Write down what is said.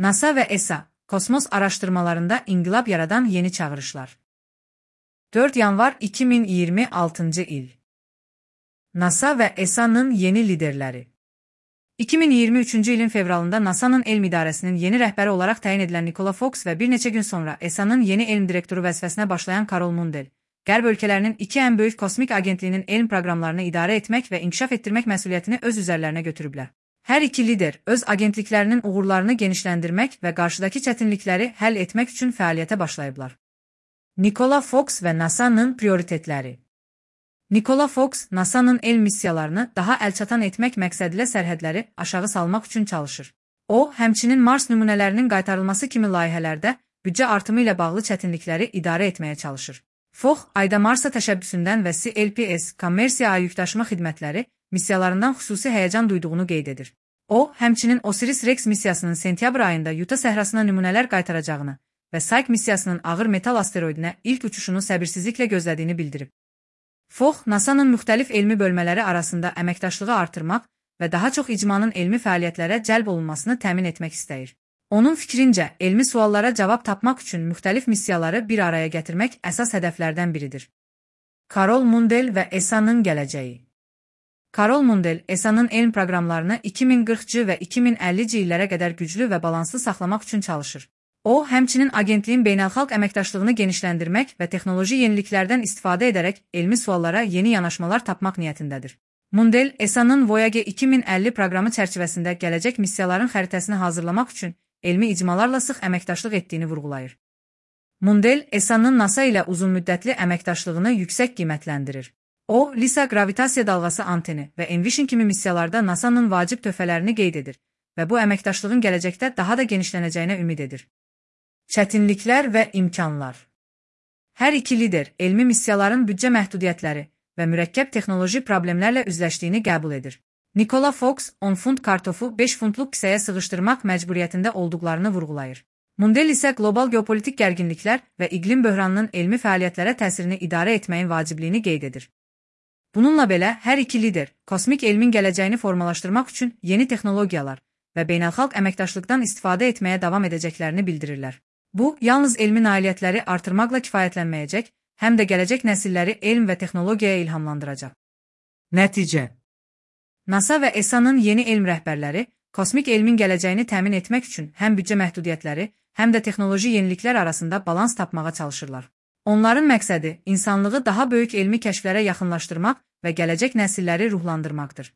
NASA və ESA, kosmos araşdırmalarında inqilab yaradan yeni çağırışlar. 4 yanvar 2026 il. NASA və ESA-nın yeni liderləri. 2023-cü ilin fevralında NASA'nın elm idarəsinin yeni rəhbəri olaraq təyin edilən Nicola Fox və bir neçə gün sonra ESA-nın yeni elm direktoru vəzifəsinə başlayan Carol Mundell, Qərb ölkələrinin iki ən böyük kosmik agentliyinin elm proqramlarını idarə etmək və inkişaf etdirmək məsuliyyətini öz üzərlərinə götürüblər. Hər iki lider öz agentliklərinin uğurlarını genişləndirmək və qarşıdakı çətinlikləri həll etmək üçün fəaliyyətə başlayıblar. Nicola Fox və NASA'nın prioritetləri. Nicola Fox, NASA'nın elm missiyalarını daha əlçatan etmək məqsədilə sərhədləri aşağı salmaq üçün çalışır. O, həmçinin Mars nümunələrinin qaytarılması kimi layihələrdə büdcə artımı ilə bağlı çətinlikləri idarə etməyə çalışır. Fox, Ayda Marsa təşəbbüsündən və CLPS, kommersiya ay yükdaşıma xidmətləri missiyalarından xüsusi həyəcan duyduğunu qeyd edir. O, həmçinin Osiris-Rex missiyasının sentyabr ayında Yuta səhrasına nümunələr qaytaracağını və Psyche missiyasının ağır metal asteroidinə ilk uçuşunu səbirsizliklə gözlədiyini bildirib. Fox, NASA'nın müxtəlif elmi bölmələri arasında əməkdaşlığı artırmaq və daha çox icmanın elmi fəaliyyətlərə cəlb olunmasını təmin etmək istəyir. Onun fikrincə, elmi suallara cavab tapmaq üçün müxtəlif missiyaları bir araya gətirmək əsas hədəflərdən biridir. Carol Mundell və ESA-nın gələcəyi. Carol Mundell, ESA-nın elm proqramlarını 2040-cı və 2050-ci illərə qədər güclü və balanslı saxlamaq üçün çalışır. O, həmçinin agentliyin beynəlxalq əməkdaşlığını genişləndirmək və texnoloji yeniliklərdən istifadə edərək elmi suallara yeni yanaşmalar tapmaq niyyətindədir. Mundell, ESA-nın Voyager 2050 proqramı çərçivəsində gələcək missiyaların xəritəsini hazırlamaq üçün elmi icmalarla sıx əməkdaşlıq etdiyini vurğulayır. Mundell, ESA-nın NASA ilə uzunmüddətli əməkdaşlığını yüksək qiymətləndirir. O, LISA qravitasiya dalğası anteni və Envision kimi missiyalarda NASA'nın vacib töhfələrini qeyd edir və bu əməkdaşlığın gələcəkdə daha da genişlənəcəyinə ümid edir. Çətinliklər və imkanlar. Hər iki lider elmi missiyaların büdcə məhdudiyyətləri və mürəkkəb texnoloji problemlərlə üzləşdiyini qəbul edir. Nicola Fox, 10 funt kartofu 5 funtluq kisəyə sığışdırmaq məcburiyyətində olduqlarını vurğulayır. Mundell isə qlobal geopolitik gərginliklər və iqlim böhranının elmi fəaliyyətlərə təsirini idarə etməyin vacibliyini qeyd edir. Bununla belə, hər iki lider kosmik elmin gələcəyini formalaşdırmaq üçün yeni texnologiyalar və beynəlxalq əməkdaşlıqdan istifadə etməyə davam edəcəklərini bildirirlər. Bu, yalnız elmi nailiyyətləri artırmaqla kifayətlənməyəcək, həm də gələcək nəsilləri elm və texnologiyaya ilhamlandıracaq. Nəticə. NASA və ESA-nın yeni elm rəhbərləri kosmik elmin gələcəyini təmin etmək üçün həm büdcə məhdudiyyətləri, həm də texnoloji yeniliklər arasında balans tapmağa çalışırlar. Onların məqsədi insanlığı daha böyük elmi kəşflərə yaxınlaşdırmaq və gələcək nəsilləri ruhlandırmaqdır.